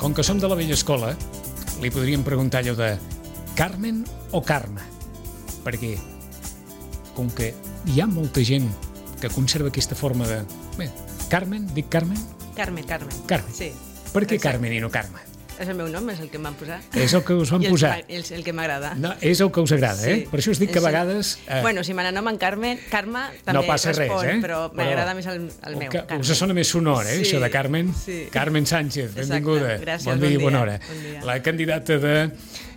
Com que som de la vella escola, li podríem preguntar allò de Carmen o Carme? Perquè, com que hi ha molta gent que conserva aquesta forma de... Bé, Carmen, dic Carmen? Carmen. Carmen. Sí. Per què Carmen i no Carme? És el meu nom, és el que em van posar. És el que us van posar. I el que m'agrada. No, és el que us agrada, Sí. Per això us dic que a vegades... Bueno, si m'anomen Carme també no passa respon, res, però m'agrada més el meu, que Carmen. us sona més sonor, Sí, això de Carmen. sí. Carmen Sánchez, benvinguda. Exacte, gràcies, Bon dia i bona hora. bon dia. La candidata de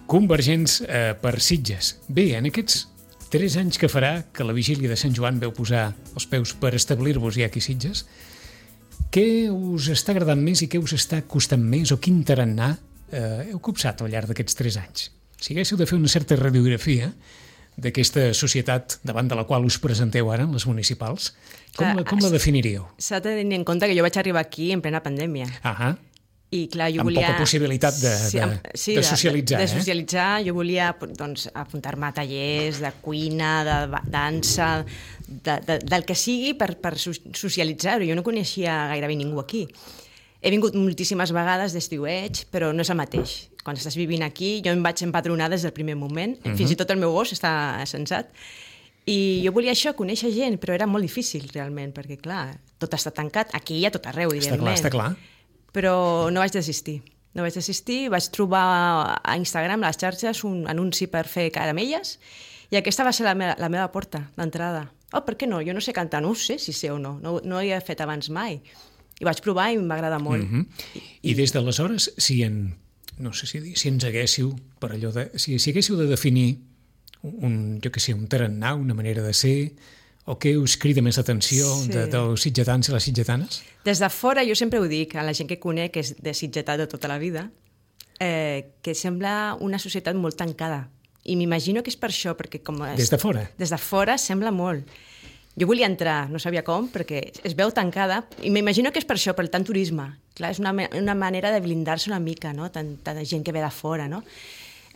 Convergents per Sitges. Bé, en aquests 3 anys que farà que la vigília de Sant Joan veu posar els peus per establir-vos ja aquí a Sitges, què us està agradant més i què us està costant més o quin tarannà heu copsat al llarg d'aquests 3 anys? Si haguéssiu de fer una certa radiografia d'aquesta societat davant de la qual us presenteu ara, en les municipals, com la definiríeu? S'ha de tenir en compte que jo vaig arribar aquí en plena pandèmia. Ahà. I clar, jo Amb volia... poca possibilitat de socialitzar. De socialitzar, jo volia doncs, apuntar-me a tallers de cuina, de dansa, del que sigui per socialitzar-ho. Jo no coneixia gairebé ningú aquí. He vingut moltíssimes vegades d'estiueig, però no és el mateix. Quan estàs vivint aquí, jo em vaig empadronar des del primer moment. Fins i tot el meu gos està censat. I jo volia això, conèixer gent, però era molt difícil, realment, perquè, clar, tot està tancat. Aquí i a tot arreu, evidentment. Està clar. Però no vaig desistir. Vaig trobar a Instagram, a les xarxes, un anunci per fer caramelles i aquesta va ser la meva porta d'entrada. Oh, per què no? Jo no sé cantar, no ho sé si sé o no. No ho he fet abans mai. I vaig provar i m'agrada molt. I des d'aleshores, no sé si ens haguéssiu, per allò de... Si haguéssiu de definir un tarannà, una manera de ser, o què us crida més atenció dels sitgetans i les sitgetanes? Des de fora, jo sempre ho dic a la gent que conec, que és de sitgetat de tota la vida, que sembla una societat molt tancada. I m'imagino que és per això, perquè com... Des de fora? Des de fora sembla molt. Jo volia entrar, no sabia com, perquè es veu tancada, i m'imagino que és per això, per tant turisme. Clar, és una manera de blindar-se una mica, no? Tanta gent que ve de fora, no?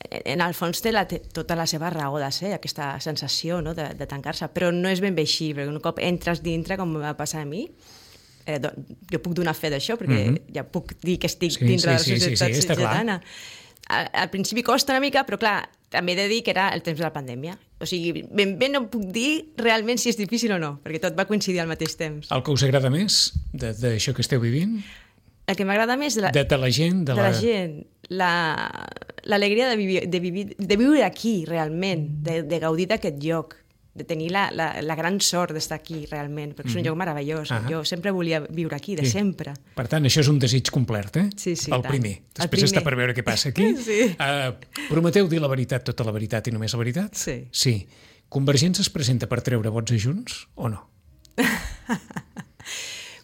En el fons té tota la seva raó de ser, aquesta sensació, no? de tancar-se, però no és ben bé així, perquè un cop entres dintre, com va passar a mi, jo puc donar fe d'això, perquè ja puc dir que estic dintre de la societat sitgetana. Al principi costa una mica, però clar, també he de dir que era el temps de la pandèmia. O sigui, ben bé no puc dir realment si és difícil o no, perquè tot va coincidir al mateix temps. El que us agrada més d'això que esteu vivint? El que m'agrada més... De la gent? De la gent. L'alegria de viure aquí, realment, de gaudir d'aquest lloc, de tenir la gran sort d'estar aquí, realment, perquè és un lloc meravellós. Jo sempre volia viure aquí, de sempre. Per tant, això és un desig complet, Sí, el primer. Després està per veure què passa aquí. Sí. Prometeu dir la veritat, tota la veritat i només la veritat? Sí. Convergents es presenta per treure vots a Junts o no?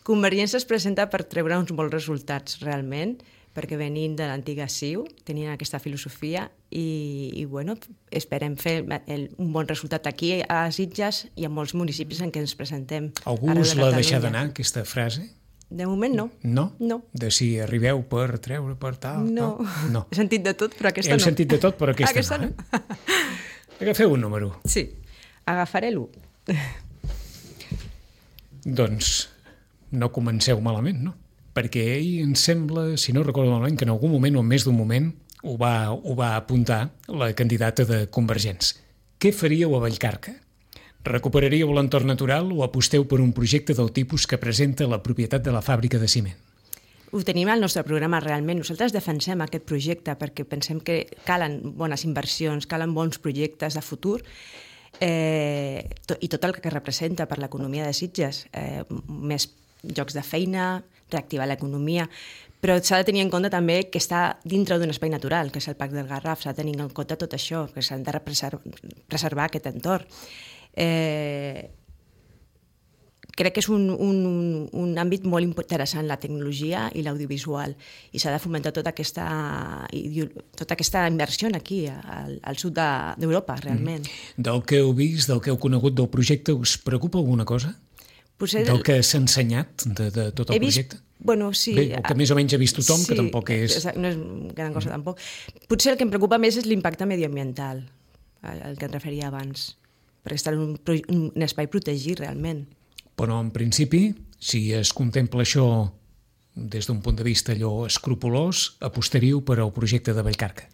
Convergència es presenta per treure uns bons resultats, realment, perquè venint de l'antiga CiU tenien aquesta filosofia i bueno, esperem fer un bon resultat aquí a Sitges i a molts municipis en què ens presentem. Algú us l'ha deixat d'anar, aquesta frase? De moment no. No? No. De si arribeu per treure, per tal? No. He sentit de tot, però aquesta no. Heu sentit de tot, però aquesta no. Agafeu un número. Sí, agafaré l'1. Doncs no comenceu malament, no? Perquè ell em sembla, si no recordo malament, que en algun moment o en més d'un moment ho va apuntar la candidata de Convergents. Què faríeu a Vallcarca? Recuperaríeu l'entorn natural o aposteu per un projecte del tipus que presenta la propietat de la fàbrica de ciment? Ho tenim al nostre programa, realment. Nosaltres defensem aquest projecte perquè pensem que calen bones inversions, calen bons projectes de futur i tot el que representa per l'economia de Sitges. Més llocs de feina, reactivar l'economia, però s'ha de tenir en compte també que està dintre d'un espai natural, que és el Parc del Garraf, s'ha de tenir en compte tot això, que s'han de preservar aquest entorn. Crec que és un àmbit molt interessant, la tecnologia i l'audiovisual, i s'ha de fomentar tota aquesta inversió aquí, al sud d'Europa, realment. Del que heu vist, del que heu conegut del projecte, us preocupa alguna cosa? Del que s'ha ensenyat de tot el projecte? Bueno, sí. Bé, el que més o menys ha vist tothom, que tampoc és... No és gran cosa, tampoc. Potser el que em preocupa més és l'impacte medioambiental, al que em referia abans, perquè està en un espai protegit, realment. Però, en principi, si es contempla això des d'un punt de vista allò escrupolós, apostaríeu per al projecte de Vallcarca?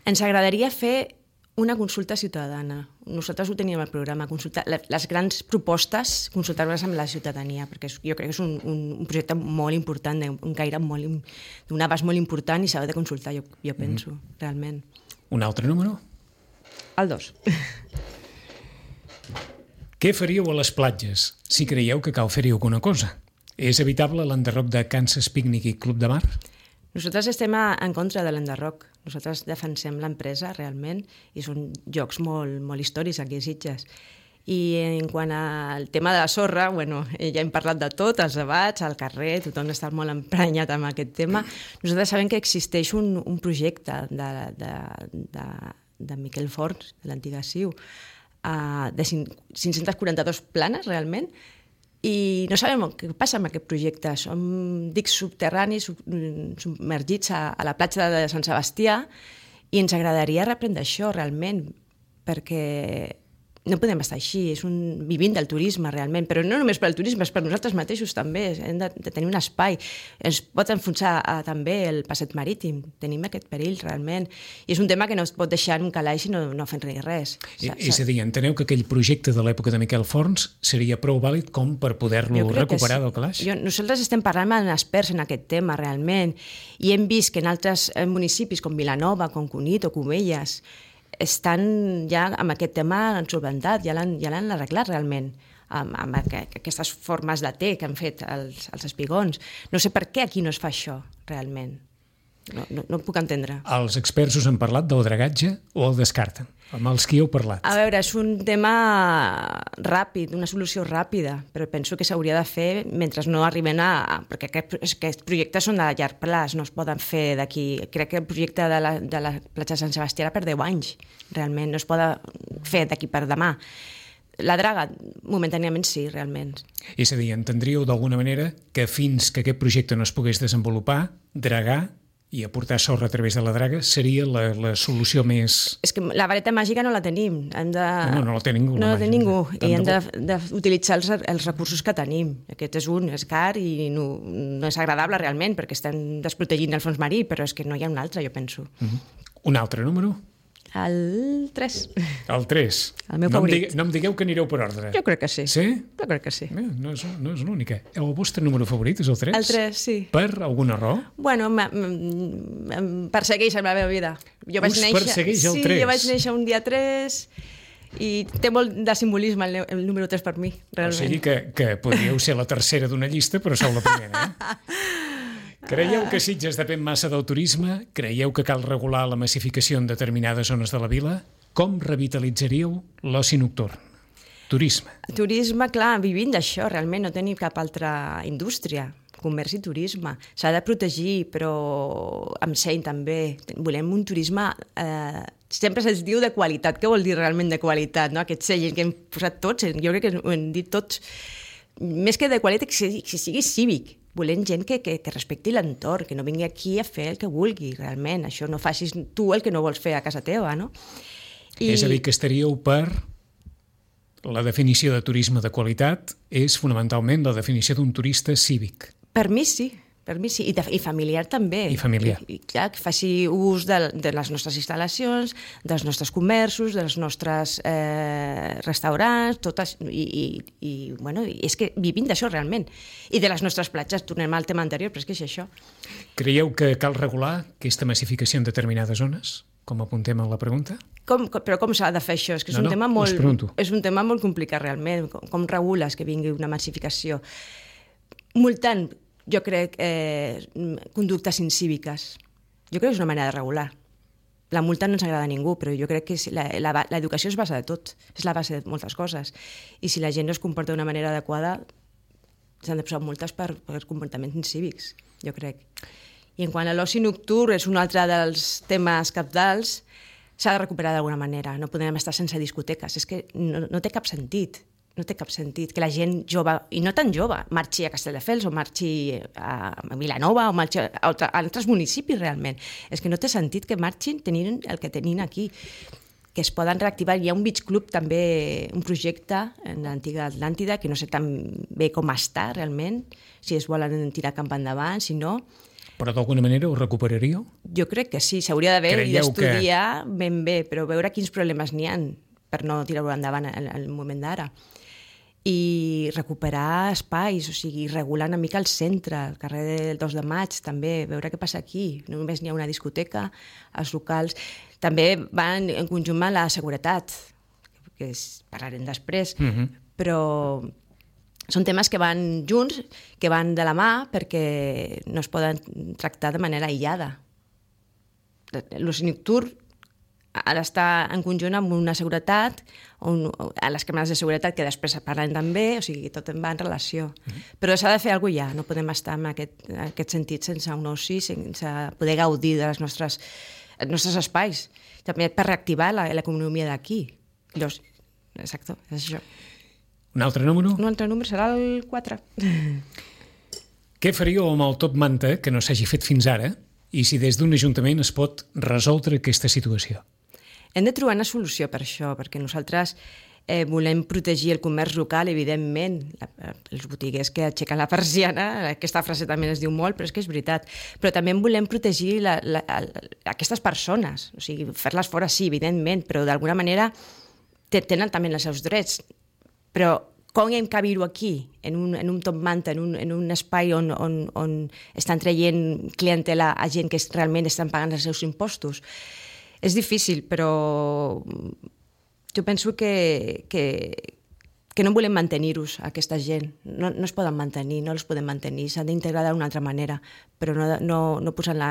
Ens agradaria fer una consulta ciutadana. Nosaltres ho teníem al programa, les grans propostes, consultar-les amb la ciutadania, perquè jo crec que és un projecte molt important, d'un abast molt important i s'ha de consultar, jo penso, realment. Un altre número? El 2. Què faríeu a les platges si creieu que cal fer-hi alguna cosa? És evitable l'enderroc de Kansas Picnic i Club de Mar? Nosaltres estem en contra de l'enderroc. Nosaltres defensem l'empresa, realment, i són llocs molt, molt històrics aquí a Sitges. I en quant al tema de la sorra, ja hem parlat de tot, els debats, al carrer, tothom està molt emprenyat amb aquest tema. Nosaltres sabem que existeix un projecte de Miquel Forns, de l'antiga CiU, de 542 planes, realment, i no sabem què passa amb aquest projecte. Som dics subterranis submergits a la platja de Sant Sebastià i ens agradaria reprendre això realment, perquè no podem estar així, vivint del turisme realment, però no només per al turisme, és per nosaltres mateixos també, hem de tenir un espai. Ens pot enfonsar també el passeig marítim, tenim aquest perill realment, i és un tema que no es pot deixar en un calaix i no fent res. És a dir, enteneu que aquell projecte de l'època de Miquel Forns seria prou vàlid com per poder-lo recuperar del calaix? Nosaltres estem parlant amb experts en aquest tema realment, i hem vist que en altres municipis com Vilanova, com Cunit o Cubelles estan ja amb aquest tema solventat, ja l'han arreglat realment, amb aquestes formes de té que han fet els espigons. No sé per què aquí no es fa això, realment. No puc entendre. Els experts us han parlat del dragatge o el descarten? Amb els qui heu parlat? A veure, és un tema ràpid, una solució ràpida, però penso que s'hauria de fer mentre no arriben perquè aquests projectes són de llarg plaç, no es poden fer d'aquí. Crec que el projecte de la platja de Sant Sebastià era per 10 anys, realment, no es pot fer d'aquí per demà. La draga, momentàniament sí, realment. És a dir, entendríeu d'alguna manera que fins que aquest projecte no es pogués desenvolupar, dragar i aportar sorra a través de la draga seria la solució més... És que la vareta màgica no la tenim. No la té ningú. No la té ningú. I hem d'utilitzar els recursos que tenim. Aquest és car i no és agradable realment perquè estem desprotegint el fons marí, però és que no hi ha un altre, jo penso. Un altre número? El 3. El 3. El meu favorit. No em digueu que anireu per ordre. Jo crec que sí. Sí? Jo crec que sí. No és l'única. El vostre número favorit és el 3? El 3, sí. Per alguna raó? Bueno, em persegueix en la meva vida. Persegueix el 3? Sí, jo vaig néixer un dia 3 i té molt de simbolisme el número 3 per mi, realment. O sigui que podríeu ser la tercera d'una llista, però sou la primera, Creieu que Sitges depèn massa del turisme? Creieu que cal regular la massificació en determinades zones de la vila? Com revitalitzaríeu l'oci nocturn? Turisme. Turisme, clar, vivint d'això, realment, no tenim cap altra indústria. Comerç i turisme. S'ha de protegir, però amb seny també. Volem un turisme... sempre se'ns diu de qualitat. Què vol dir realment de qualitat? No? Aquest seny que hem posat tots, jo crec que ho hem dit tots, més que de qualitat, que sigui cívic. Volem gent que respecti l'entorn, que no vingui aquí a fer el que vulgui, realment. Això no facis tu el que no vols fer a casa teva, no? És a dir, que estaríeu per... La definició de turisme de qualitat és fonamentalment la definició d'un turista cívic. Per mi sí. I familiar també. I familiar. I clar, que faci ús de les nostres instal·lacions, dels nostres comerços, dels nostres restaurants, totes, i és que vivim d'això realment. I de les nostres platges, tornem al tema anterior, però és que és això. Creieu que cal regular aquesta massificació en determinades zones? Com apuntem en la pregunta? Però com s'ha de fer això? És que és un tema molt complicat realment. Com regules que vingui una massificació? Multant, jo crec, conductes incíviques. Jo crec que és una manera de regular. La multa no ens agrada a ningú, però jo crec que l'educació és base de tot, és la base de moltes coses. I si la gent no es comporta d'una manera adequada, s'han de posar multes per comportaments incívics, jo crec. I en quant a l'oci nocturn, és un altre dels temes cabdals, s'ha de recuperar d'alguna manera. No podem estar sense discoteques. És que no té cap sentit. No té cap sentit que la gent jove, i no tan jove, marxi a Castelldefels o marxi a Vilanova o marxi a altres municipis realment. És que no té sentit que marxin tenint el que tenien aquí. que es poden reactivar. Hi ha un beach club també, un projecte en l'antiga Atlàntida, que no sé tan bé com està realment, si es volen tirar cap endavant, si no. Però d'alguna manera ho recuperaríeu? Jo crec que sí, s'hauria d'haver i d'estudiar ben bé, però veure quins problemes n'hi ha per no tirar-ho endavant al moment d'ara. I recuperar espais, o sigui, regular una mica el centre, el carrer del 2 de maig, també, veure què passa aquí. No només n'hi ha una discoteca, els locals. També van en conjunt amb la seguretat, que parlarem després, però són temes que van junts, que van de la mà, perquè no es poden tractar de manera aïllada. L'oci nocturn ha d'estar en conjunt amb una seguretat, a les càmeres de seguretat que després parlen també, o sigui, tot va en relació. Però s'ha de fer alguna cosa ja, no podem estar en aquest sentit sense un oci, sense poder gaudir dels nostres espais, també per reactivar l'economia d'aquí. Exacte, és això. Un altre número? Un altre número serà el 4. Què faríeu amb el top manta que no s'hagi fet fins ara i si des d'un ajuntament es pot resoldre aquesta situació? Hem de trobar una solució per això, perquè nosaltres volem protegir el comerç local, evidentment, els botiguers que aixequen la persiana, aquesta frase també es diu molt, però és que és veritat, però també volem protegir aquestes persones, o sigui, fer-les fora sí, evidentment, però d'alguna manera tenen també els seus drets, però com hem que viure aquí, en un top manta, en un espai on estan traient clientela a gent que realment estan pagant els seus impostos? És difícil, però jo penso que no volem mantenir-los, aquesta gent. No es poden mantenir, no els podem mantenir, s'han d'integrar d'una altra manera, però no posant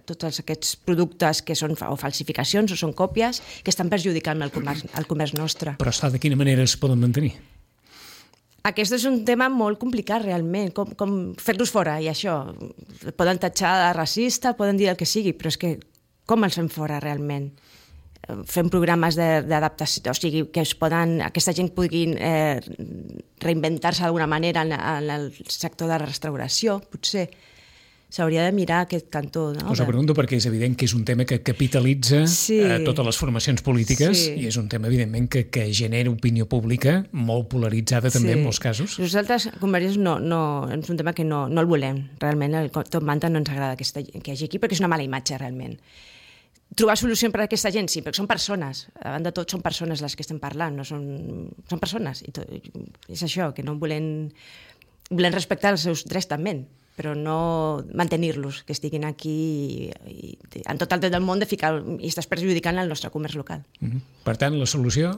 tots aquests productes que són o falsificacions o són còpies que estan perjudicant el comerç nostre. Però de quina manera es poden mantenir? Aquest és un tema molt complicat, realment, com fer-los fora, i això. Poden tatxar de racista, poden dir el que sigui, però és que com els fem fora, realment? Fem programes d'adaptació, o sigui, que aquesta gent pugui reinventar-se d'alguna manera en el sector de la restauració, potser. S'hauria de mirar aquest cantó. Us ho pregunto perquè és evident que és un tema que capitalitza totes les formacions polítiques i és un tema, evidentment, que genera opinió pública molt polaritzada també en molts casos. Nosaltres, Convergents, és un tema que no el volem. Realment, el top manta no ens agrada que hi hagi aquí perquè és una mala imatge, realment. Trobar solució per a aquesta gent, sí, perquè són persones. Davant de tot, són persones les que estem parlant, no són persones. És això, que no volem respectar els seus drets també, però no mantenir-los, que estiguin aquí i en tot el dret del món de ficar i estàs perjudicant el nostre comerç local. Per tant, la solució?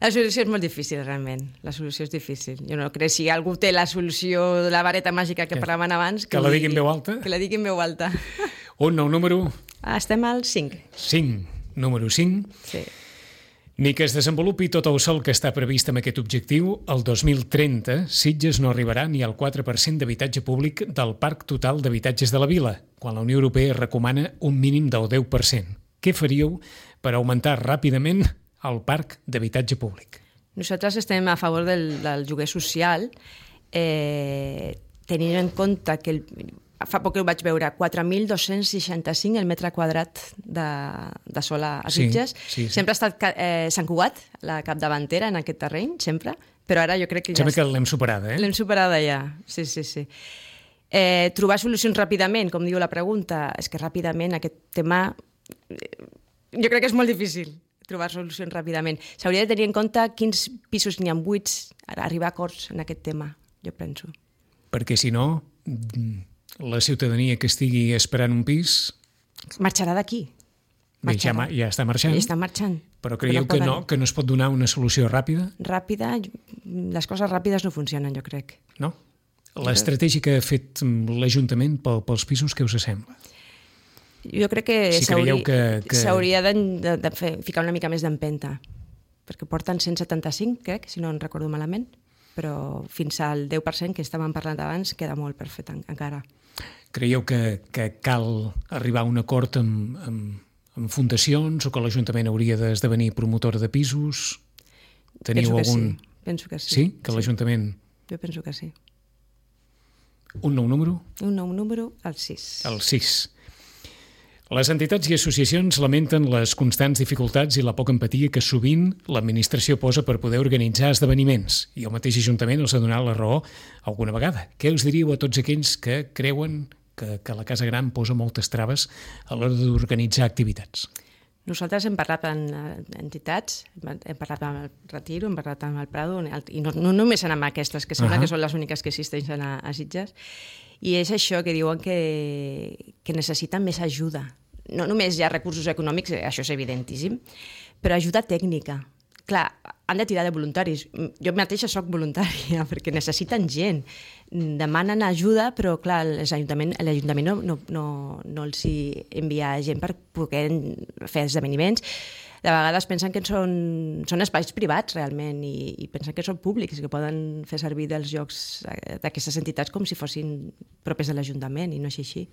La solució és molt difícil, realment. La solució és difícil. Jo no crec, si algú té la solució de la vareta màgica que parlaven abans... Que la digui en veu alta? Que la digui en veu alta. Un nou número? Estem al 5. 5. Número 5. Sí. Ni que es desenvolupi tot el sol que està previst amb aquest objectiu, el 2030 Sitges no arribarà ni al 4% d'habitatge públic del parc total d'habitatges de la vila, quan la Unió Europea recomana un mínim del 10%. Què faríeu per augmentar ràpidament el parc d'habitatge públic? Nosaltres estem a favor del lloguer social, tenint en compte que fa poc ho vaig veure, 4.265 el metre quadrat de sol a Sitges. Sí. Sempre ha estat Sant Cugat, la capdavantera en aquest terreny, sempre, però ara jo crec que Sembla que l'hem superada, L'hem superada ja, sí. Trobar solucions ràpidament, com diu la pregunta, és que ràpidament aquest tema jo crec que és molt difícil trobar solucions ràpidament. S'hauria de tenir en compte quins pisos n'hi ha buits, arribar a acords en aquest tema, jo penso. Perquè si no, la ciutadania que estigui esperant un pis... Marxarà d'aquí. Bé, ja està marxant. Ja està marxant. Però creieu que no es pot donar una solució ràpida? Ràpida? Les coses ràpides no funcionen, jo crec. No? L'estratègia que ha fet l'Ajuntament pels pisos, què us sembla? Jo crec que s'hauria de ficar una mica més d'empenta, perquè porten 175, crec, si no en recordo malament, però fins al 10% que estàvem parlant abans queda molt per fer encara. Creieu que cal arribar a un acord amb fundacions o que l'Ajuntament hauria d'esdevenir promotor de pisos? Teniu algun... Penso que sí. Sí? Que l'Ajuntament... Jo penso que sí. Un nou número? Un nou número, el 6. El 6. Les entitats i associacions lamenten les constants dificultats i la poca empatia que sovint l'administració posa per poder organitzar esdeveniments, i el mateix Ajuntament els ha donat la raó alguna vegada. Què us diríeu a tots aquells que creuen que la Casa Gran posa moltes traves a l'hora d'organitzar activitats? Nosaltres hem parlat amb entitats, hem parlat amb el Retiro, hem parlat amb el Prado, i no només amb aquestes, que sembla que són les úniques que existeixen a Sitges, i és això que diuen que necessiten més ajuda. No només hi ha recursos econòmics, això és evidentíssim, però ajuda tècnica. Clar, han de tirar de voluntaris. Jo mateixa soc voluntària, perquè necessiten gent. Demanen ajuda, però clar, l'Ajuntament no els envia gent per poder fer esdeveniments. De vegades pensen que són espais privats, realment, i pensen que són públics, que poden fer servir dels llocs d'aquestes entitats com si fossin propers de l'Ajuntament, i no és així.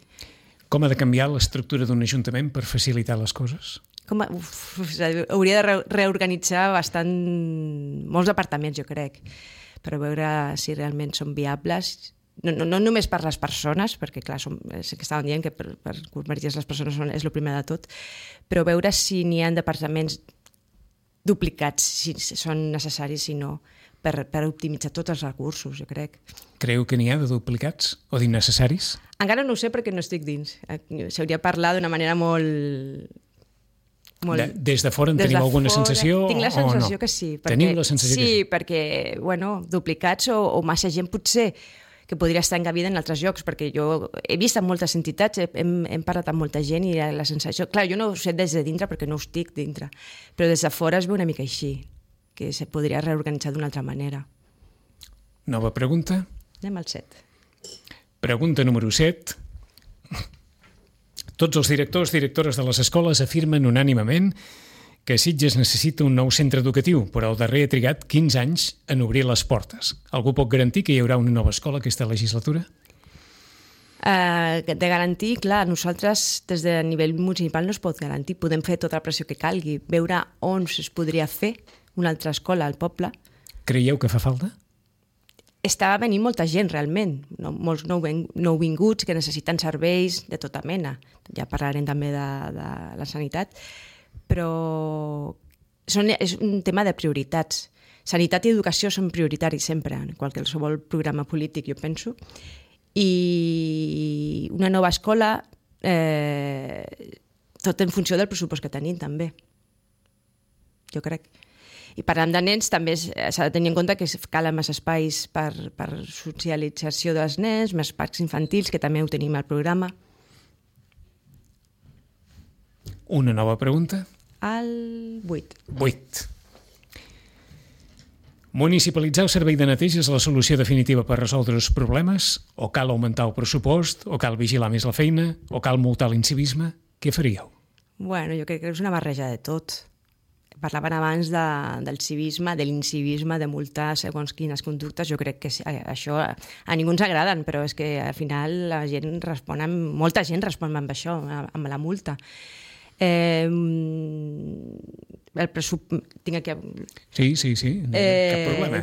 Com ha de canviar l'estructura d'un ajuntament per facilitar les coses? Hauria de reorganitzar bastant molts departaments, jo crec, per veure si realment són viables. No només per les persones, perquè clar, sé que estaven dient que per convertir les persones és el primer de tot, però veure si n'hi ha departaments duplicats, si són necessaris, si no, per optimitzar tots els recursos, jo crec. Creu que n'hi ha de duplicats o d'innecessaris? Encara no ho sé perquè no estic dins. S'hauria de parlar d'una manera molt... Des de fora en teniu alguna sensació o no? Tinc la sensació que sí. Teniu la sensació que sí? Sí, perquè, duplicats o massa gent potser que podria estar encabida en altres llocs, perquè jo he vist en moltes entitats, hem parlat amb molta gent i la sensació... Clar, jo no ho sé des de dintre perquè no ho estic dintre, però des de fora es veu una mica així, que se podria reorganitzar d'una altra manera. Nova pregunta. Anem al 7. Pregunta número 7. Tots els directors i directores de les escoles afirmen unànimement que Sitges necessita un nou centre educatiu, però el darrer ha trigat 15 anys en obrir les portes. Algú pot garantir que hi haurà una nova escola aquesta legislatura? De garantir, clar, nosaltres des de nivell municipal no es pot garantir. Podem fer tota la pressió que calgui, veure on es podria fer una altra escola al poble. Creieu que fa falta? Està venint molta gent, realment, molts nouvinguts que necessiten serveis de tota mena. Ja parlarem també de la sanitat, però és un tema de prioritats. Sanitat i educació són prioritaris sempre, en qualsevol programa polític, jo penso. I una nova escola, tot en funció del pressupost que tenim, també. Jo crec. I parlant de nens, també s'ha de tenir en compte que calen més espais per socialització dels nens, més parcs infantils, que també ho tenim al programa. Una nova pregunta? El 8. 8. Municipalitzar el servei de neteja és la solució definitiva per resoldre els problemes? O cal augmentar el pressupost? O cal vigilar més la feina? O cal multar l'incivisme? Què faríeu? Bueno, jo crec que és una barreja de tot. Parlaven abans del civisme, de l'incivisme, de multar segons quines conductes. Jo crec que això a ningú ens agraden, però és que al final la gent molta gent respon amb això, amb la multa. Tinc aquí... Sí, cap problema.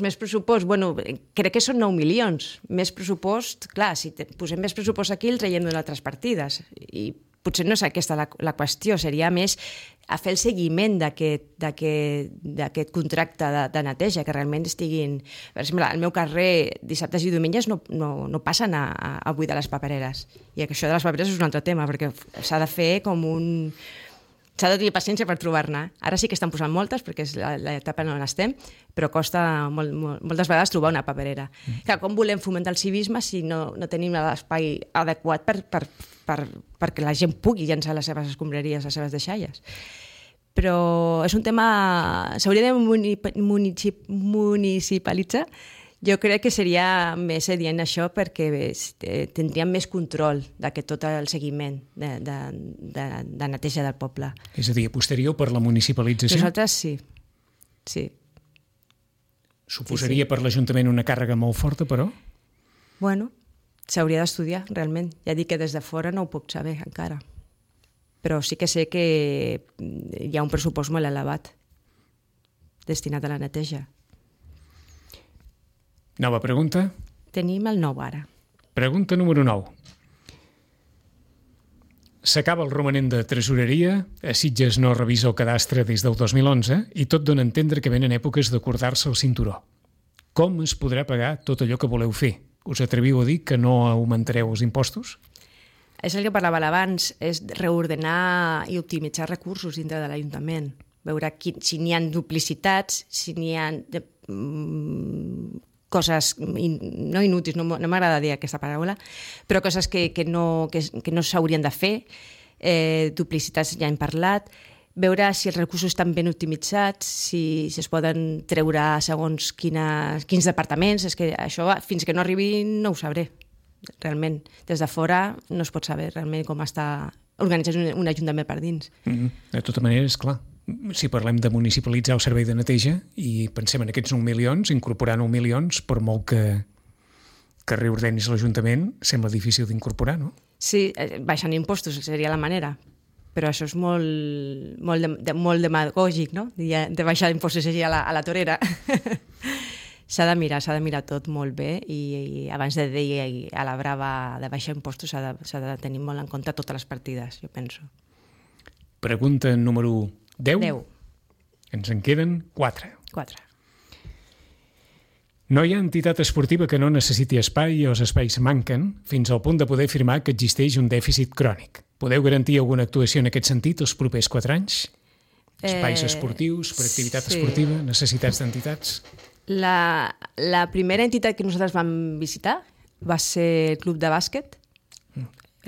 Més pressupost, bueno, crec que són 9 milions. Més pressupost, clar, si posem més pressupost aquí el traiem d'altres partides, i potser no és aquesta la qüestió, seria més a fer el seguiment d'aquest contracte de neteja, que realment estiguin... Per exemple, al meu carrer, dissabtes i diumenges no passen a buidar les papereres. I això de les papereres és un altre tema, perquè s'ha de fer com un... S'ha de tenir paciència per trobar-ne. Ara sí que estan posant moltes, perquè és l'etapa en on estem, però costa moltes vegades trobar una paperera. Clar, com volem fomentar el civisme si no tenim l'espai adequat perquè la gent pugui llançar les seves escombraries, les seves deixalles? Però és un tema... S'hauria de municipalitzar. Jo crec que seria més adient això perquè tindríem més control tot el seguiment de neteja del poble. És a dir, apostaríeu per la municipalització? Nosaltres sí. Suposaria per l'Ajuntament una càrrega molt forta, però? Bueno, s'hauria d'estudiar, realment. Ja dic que des de fora no ho puc saber encara. Però sí que sé que hi ha un pressupost molt elevat destinat a la neteja. Nova pregunta? Tenim el 9 ara. Pregunta número 9. s'acaba el romanent de tresoreria, a Sitges no revisa el cadastre des del 2011 i tot dona a entendre que venen èpoques d'acordar-se el cinturó. Com es podrà pagar tot allò que voleu fer? Us atreviu a dir que no augmentareu els impostos? És el que parlava abans, és reordenar i optimitzar recursos dintre de l'Ajuntament. Veure si n'hi ha duplicitats, si n'hi ha coses no inútils, no m'agrada dir aquesta paraula, però coses que no s'haurien de fer, duplicitats ja hem parlat, veure si els recursos estan ben optimitzats, si es poden treure segons quins departaments, és que això fins que no arribi no ho sabré, realment. Des de fora no es pot saber realment com està organitzat un ajuntament per dins. De tota manera, és clar. Si parlem de municipalitzar el servei de neteja i pensem en aquests 9 milions, incorporar 9 milions, per molt que reordenis l'Ajuntament, sembla difícil d'incorporar, no? Sí, baixant impostos seria la manera, però això és molt demagògic, no? De baixar impostos així a la torera. S'ha de mirar tot molt bé i abans de dir a la brava de baixar impostos s'ha de tenir molt en compte totes les partides, jo penso. Pregunta número 10. 10. Ens en queden 4. 4. No hi ha entitat esportiva que no necessiti espai i els espais manquen fins al punt de poder afirmar que existeix un dèficit crònic. Podeu garantir alguna actuació en aquest sentit els propers 4 anys? Espais esportius, per activitat esportiva, necessitats d'entitats? La primera entitat que nosaltres vam visitar va ser el club de bàsquet.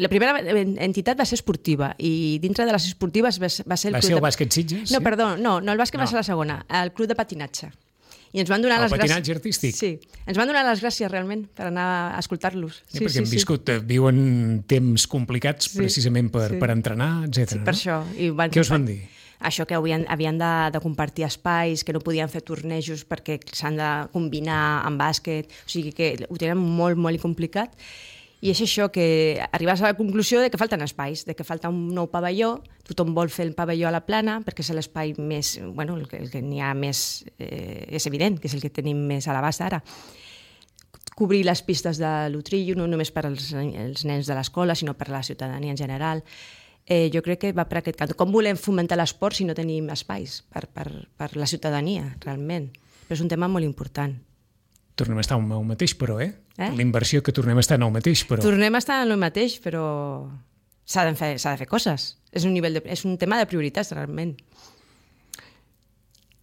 La primera entitat va ser esportiva i dintre de les esportives va ser el club el bàsquet Sitges? No, perdó, no, el bàsquet va ser la segona, el club de patinatge. I ens van donar les gràcies. El patinatge artístic? Sí, ens van donar les gràcies realment per anar a escoltar-los. Sí, perquè viuen temps complicats precisament per entrenar, etc. Sí, per això. Què us van dir? Això que havien de compartir espais, que no podien fer tornejos perquè s'han de combinar amb bàsquet, o sigui que ho tenen molt, molt complicat. I és això, que arribes a la conclusió de que falten espais, de que falta un nou pavelló, tothom vol fer el pavelló a la plana perquè és l'espai més, bueno, el que n'hi ha més, és evident, que és el que tenim més a l'abast ara. Cobrir les pistes de l'Utrillo, no només per als nens de l'escola, sinó per a la ciutadania en general. Jo crec que va per aquest cant. Com volem fomentar l'esport si no tenim espais per la ciutadania, realment? Però és un tema molt important. Tornem a estar en el mateix, però, L'inversió que tornem a estar en el mateix, però... Tornem a estar en el mateix, però s'ha de fer coses. És un tema de prioritats, realment.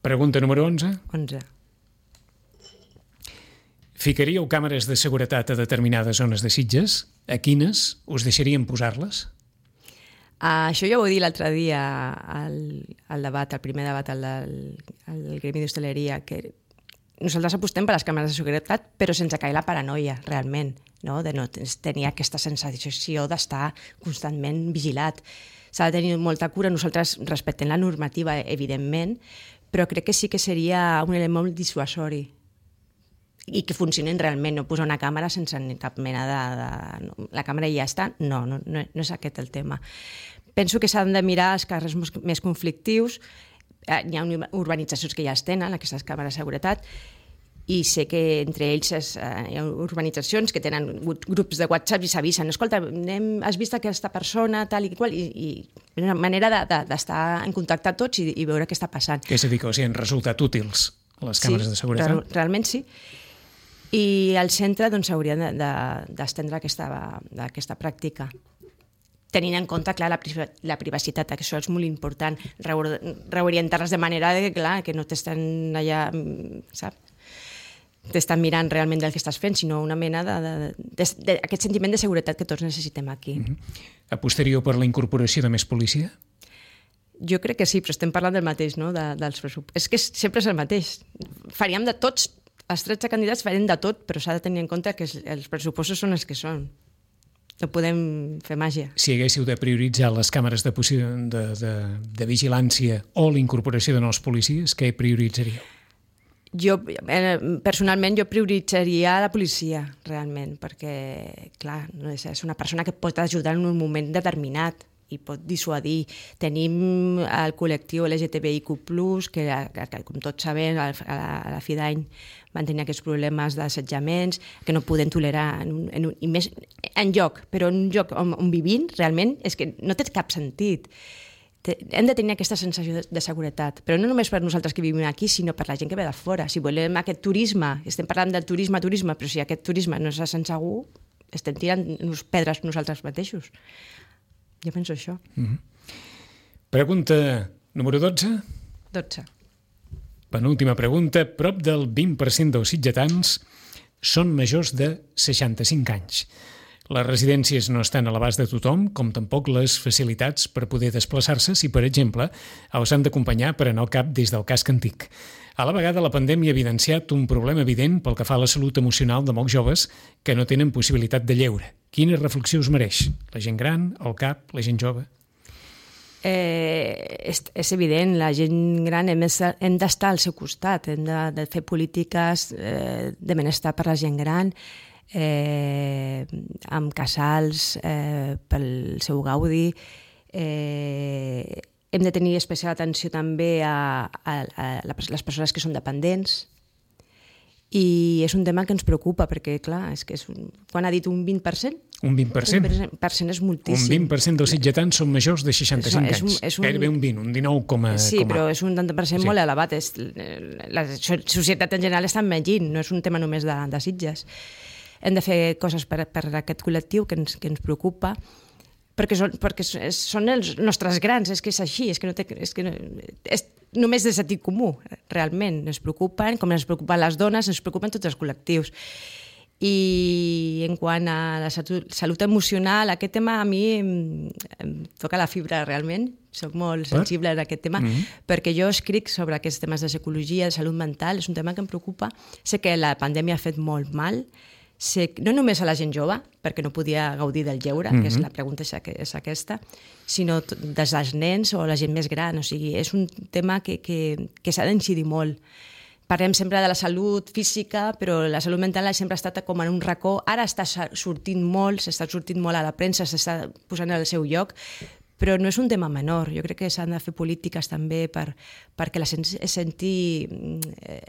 Pregunta número 11. 11. Ficaríeu càmeres de seguretat a determinades zones de Sitges? A quines us deixarien posar-les? Això ja ho he dit l'altre dia al debat, al primer debat al Gremi d'Hostaleria, que nosaltres apostem per les càmeres de seguretat, però sense caure la paranoia, realment, no? De no tenir aquesta sensació d'estar constantment vigilat. S'ha de tenir molta cura. Nosaltres respectem la normativa, evidentment, però crec que sí que seria un element molt dissuasori i que funcionin realment, no posar una càmera sense cap mena de... La càmera ja està? No és aquest el tema. Penso que s'han de mirar els carrers més conflictius. Hi ha urbanitzacions que ja es tenen, aquestes càmeres de seguretat, i sé que entre ells hi ha urbanitzacions que tenen grups de WhatsApp i s'avisen, escolta, has vist aquesta persona, tal i qual, i una manera d'estar en contacte tots i veure què està passant. És a dir, que han resultat útils les càmeres de seguretat? Sí, realment sí. I al centre s'hauria d'estendre aquesta pràctica, tenint en compte, clar, la privacitat, que això és molt important, reorientar-les de manera que no t'estan allà, saps? T'estan mirant realment del que estàs fent, sinó una mena d'aquest sentiment de seguretat que tots necessitem aquí. Apostaríeu per la incorporació de més policia? Jo crec que sí, però estem parlant del mateix, no? Dels pressupostos. És que sempre és el mateix. Faríem de tots, els 13 candidats farem de tot, però s'ha de tenir en compte que els pressupostos són els que són. No podem fer màgia. Si haguéssiu de prioritzar les càmeres de vigilància o la incorporació de nous policies, què prioritzaríeu? Personalment, jo prioritzaria la policia, realment, perquè, clar, és una persona que pot ajudar en un moment determinat, i pot dissuadir. Tenim el col·lectiu LGTBIQ+, que com tots sabem, a la fi d'any van tenir aquests problemes d'assetjaments que no podem tolerar i més enlloc, però en un lloc on vivim realment és que no té cap sentit. Hem de tenir aquesta sensació de seguretat, però no només per nosaltres que vivim aquí, sinó per la gent que ve de fora. Si volem aquest turisme, estem parlant del turisme, però si aquest turisme no se sent segur, estem tirant pedres nosaltres mateixos. Jo penso això. Pregunta número 12. 12. Penúltima pregunta. Prop del 20% dels sitgetans són majors de 65 anys. Les residències no estan a l'abast de tothom, com tampoc les facilitats per poder desplaçar-se si, per exemple, els han d'acompanyar per anar al cap des del casc antic. A la vegada, la pandèmia ha evidenciat un problema evident pel que fa a la salut emocional de molts joves que no tenen possibilitat de lleure. Quina reflexió us mereix? La gent gran, el CAP, la gent jove? És evident, la gent gran hem d'estar al seu costat, hem de fer polítiques de benestar per la gent gran, amb casals pel seu gaudi. Hem de tenir especial atenció també a les persones que són dependents, i és un tema que ens preocupa perquè, clar, quan ha dit un 20%? Un 20%. Un 20% és moltíssim. Un 20% dels sitgetans són majors de 65 anys. Gairebé un 20, un 19, Sí, però és un 30% molt elevat. La societat en general està envellint, no és un tema només de Sitges. Hem de fer coses per aquest col·lectiu que ens preocupa, perquè són els nostres grans, és que és així, és només de sentit comú, realment. Ens preocupen, com ens preocupen les dones, ens preocupen tots els col·lectius. I en quant a la salut emocional, aquest tema a mi em toca la fibra realment, soc molt sensible en aquest tema, perquè jo escric sobre aquests temes de psicologia, de salut mental, és un tema que em preocupa. Sé que la pandèmia ha fet molt mal, no només a la gent jove, perquè no podia gaudir del lleure, que és la pregunta és aquesta, sinó des dels nens o la gent més gran. O sigui, és un tema que s'ha d'incidir molt. Parlem sempre de la salut física, però la salut mental sempre ha estat com en un racó. Ara s'està sortint molt a la premsa, s'està posant al seu lloc, però no és un tema menor. Jo crec que s'han de fer polítiques també perquè la gent es senti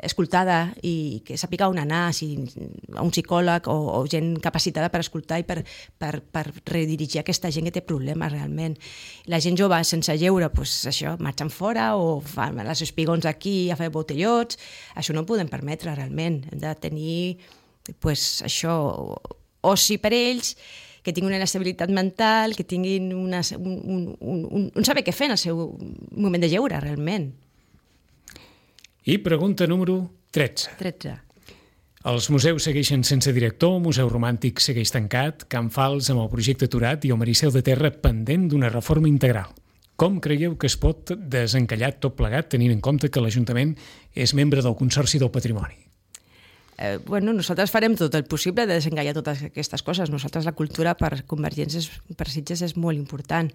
escoltada i que sàpiga on anar, a un psicòleg o gent capacitada per escoltar i per redirigir aquesta gent que té problemes realment. La gent jove sense lleure, això, marxen fora o fan les espigons aquí a fer botellots. Això no ho podem permetre realment. Hem de tenir això, oci per ells, que tinguin una estabilitat mental, que tinguin un saber què fer en el seu moment de lleure, realment. I pregunta número 13. 13. Els museus segueixen sense director, el Museu Romàntic segueix tancat, Can Fals amb el projecte aturat i el Maricel de Terra pendent d'una reforma integral. Com creieu que es pot desencallar tot plegat tenint en compte que l'Ajuntament és membre del Consorci del Patrimoni? Nosaltres farem tot el possible de desencallar totes aquestes coses. Nosaltres la cultura per Convergència, per Sitges, és molt important,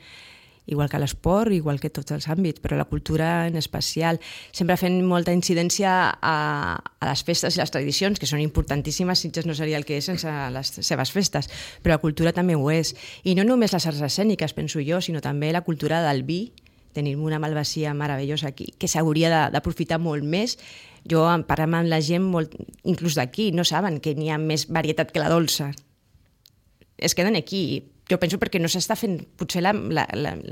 igual que l'esport, igual que tots els àmbits, però la cultura en especial. Sempre fent molta incidència a les festes i les tradicions, que són importantíssimes. Sitges no seria el que és sense les seves festes, però la cultura també ho és. I no només les arts escèniques, penso jo, sinó també la cultura del vi. Tenim una malvasia meravellosa aquí, que s'hauria d'aprofitar molt més. Jo parlant amb la gent, inclús d'aquí, no saben que n'hi ha més varietat que la dolça. Es queden aquí. Jo penso perquè no s'està fent potser la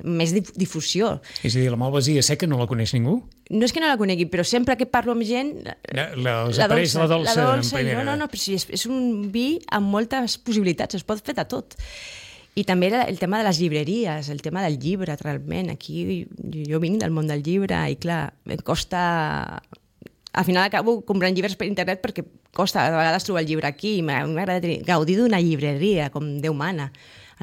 més difusió. És a dir, la malvasia seca no la coneix ningú? No és que no la conegui, però sempre que parlo amb gent... Apareix la dolça en primera. No, però sí, és un vi amb moltes possibilitats, es pot fer de tot. I també el tema de les llibreries, el tema del llibre, realment. Aquí jo vinc del món del llibre i, clar, em costa... Al final acabo comprant llibres per internet perquè costa a vegades trobar el llibre aquí i m'agrada gaudir d'una llibreria, com Déu mana,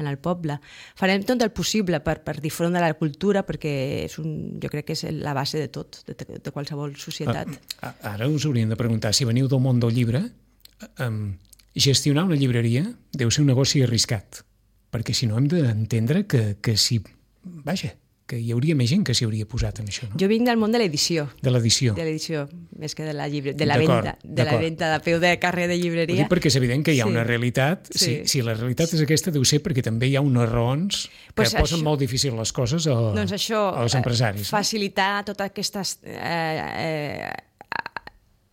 en el poble. Farem tot el possible per difondre la cultura perquè jo crec que és la base de tot, de qualsevol societat. Ara us hauríem de preguntar, si veniu del món del llibre, gestionar una llibreria deu ser un negoci arriscat, perquè si no hem d'entendre que si... Vaja, que hi hauria més gent que s'hi hauria posat en això, no? Jo vinc del món de l'edició. De l'edició. De l'edició, més que de la venda. De la venda de peu de carrer de llibreria. Perquè és evident que hi ha una realitat. Si la realitat és aquesta, deu ser perquè també hi ha unes raons que posen molt difícil les coses als empresaris. Facilitar totes aquestes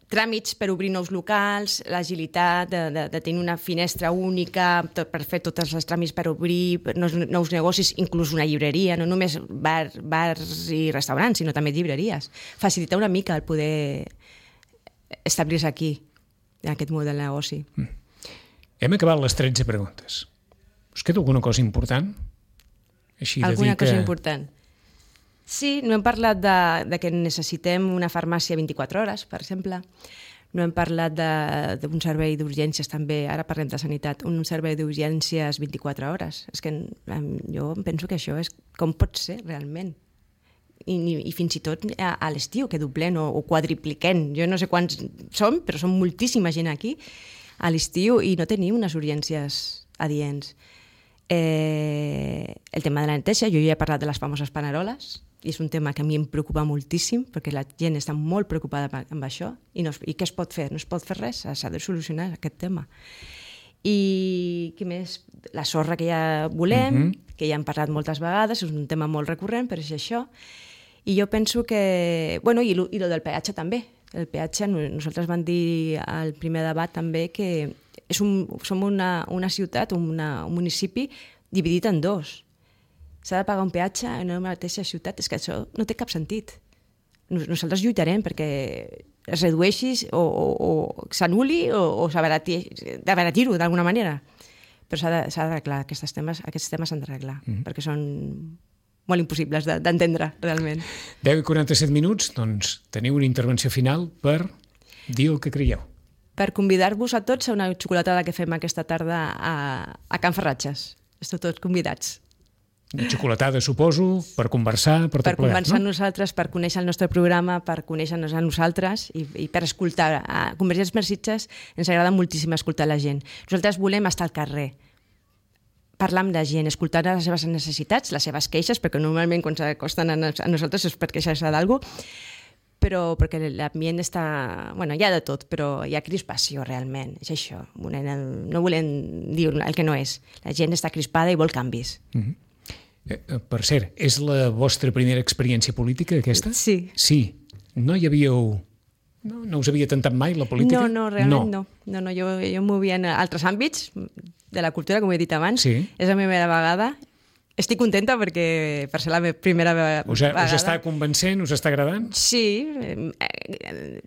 tràmits per obrir nous locals, l'agilitat de tenir una finestra única per fer tots els tràmits per obrir nous negocis, inclús una llibreria, no només bars i restaurants, sinó també llibreries. Facilitar una mica el poder establir-se aquí, en aquest model de negoci. Hem acabat les 13 preguntes. Us queda alguna cosa important? Alguna cosa important? Sí, no hem parlat de que necessitem una farmàcia 24 hores, per exemple. No hem parlat d'un servei d'urgències també, ara parlem de sanitat, un servei d'urgències 24 hores. És que jo penso que això és com pot ser realment. I fins i tot a l'estiu, que doblen o quadripliquen. Jo no sé quants som, però som moltíssima gent aquí a l'estiu i no tenim unes urgències adients. El tema de la neteja, jo ja he parlat de les famoses paneroles, i és un tema que a mi em preocupa moltíssim, perquè la gent està molt preocupada amb això, i què es pot fer? No es pot fer res, s'ha de solucionar aquest tema. I què més? La sorra que ja volem, que ja hem parlat moltes vegades, és un tema molt recurrent, però és això. I jo penso que... Bueno, i el del peatge també. El peatge, nosaltres vam dir al primer debat també que som una ciutat, un municipi dividit en dos. S'ha de pagar un peatge en una mateixa ciutat. És que això no té cap sentit. Nosaltres lluitarem perquè es redueixi o s'anul·li o s'abaratir-ho d'alguna manera. Però s'ha d'arreglar. Aquests temes s'han d'arreglar perquè són molt impossibles d'entendre realment. 10 i 47 minuts, doncs teniu una intervenció final per dir el que creieu. Per convidar-vos a tots a una xocolatada que fem aquesta tarda a Can Ferratges. Esteu tots convidats. Una xocolatada, suposo, per conversar, per tot plegat, no? Per conversar amb nosaltres, per conèixer el nostre programa, per conèixer-nos a nosaltres i per escoltar. A Convergents per Sitges ens agrada moltíssim escoltar la gent. Nosaltres volem estar al carrer, parlar amb la gent, escoltar les seves necessitats, les seves queixes, perquè normalment quan s'acosten a nosaltres és per queixar-se d'alguna cosa, però perquè l'ambient està... Bueno, hi ha de tot, però hi ha crispació realment, és això. No volem dir el que no és. La gent està crispada i vol canvis. Per cert, és la vostra primera experiència política, aquesta? Sí. Sí. No hi havíeu... No us havia tentat mai la política? No, realment no. Jo em movia en altres àmbits de la cultura, com he dit abans. Sí. És la meva primera vegada. Estic contenta perquè per ser la meva primera vegada... Us està convencent? Us està agradant? Sí.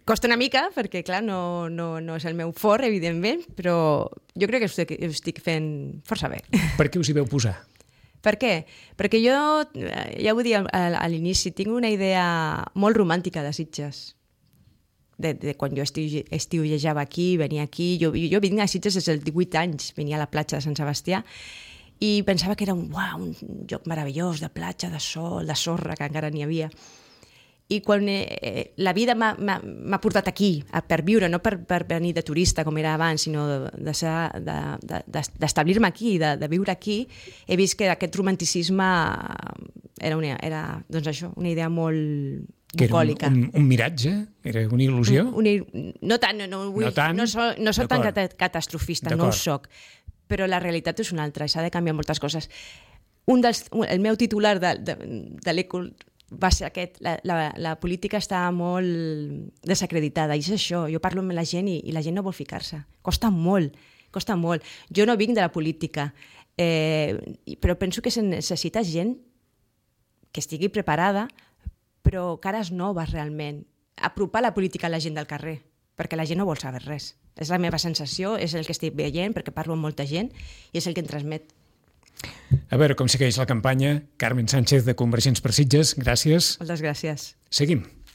Costa una mica perquè, clar, no és el meu fort, evidentment, però jo crec que ho estic fent força bé. Per què us hi veu posar? Per què? Perquè jo, ja ho dic a l'inici, tinc una idea molt romàntica de Sitges. De quan jo estiuejava aquí, venia aquí. Jo vinc a Sitges des dels 18 anys, venia a la platja de Sant Sebastià, i pensava que era un lloc meravellós, de platja, de sol, de sorra, que encara n'hi havia. I quan la vida m'ha portat aquí per viure, no per venir de turista com era abans, sinó d'establir-me aquí, de viure aquí, he vist que aquest romanticisme era doncs això, una idea molt bucòlica. Era un miratge? Era una il·lusió? No tant, no soc tan catastrofista, no ho soc, però la realitat és una altra i s'ha de canviar moltes coses. El meu titular de l'Ecol va ser aquest, la política està molt desacreditada, i és això, jo parlo amb la gent i la gent no vol ficar-se, costa molt. Jo no vinc de la política, però penso que se necessita gent que estigui preparada, però cares noves realment, apropar la política a la gent del carrer, perquè la gent no vol saber res. És la meva sensació, és el que estic veient, perquè parlo amb molta gent, i és el que em transmet. A veure com segueix la campanya. Carmen Sánchez, de Convergents per Sitges, gràcies. Moltes gràcies. Seguim.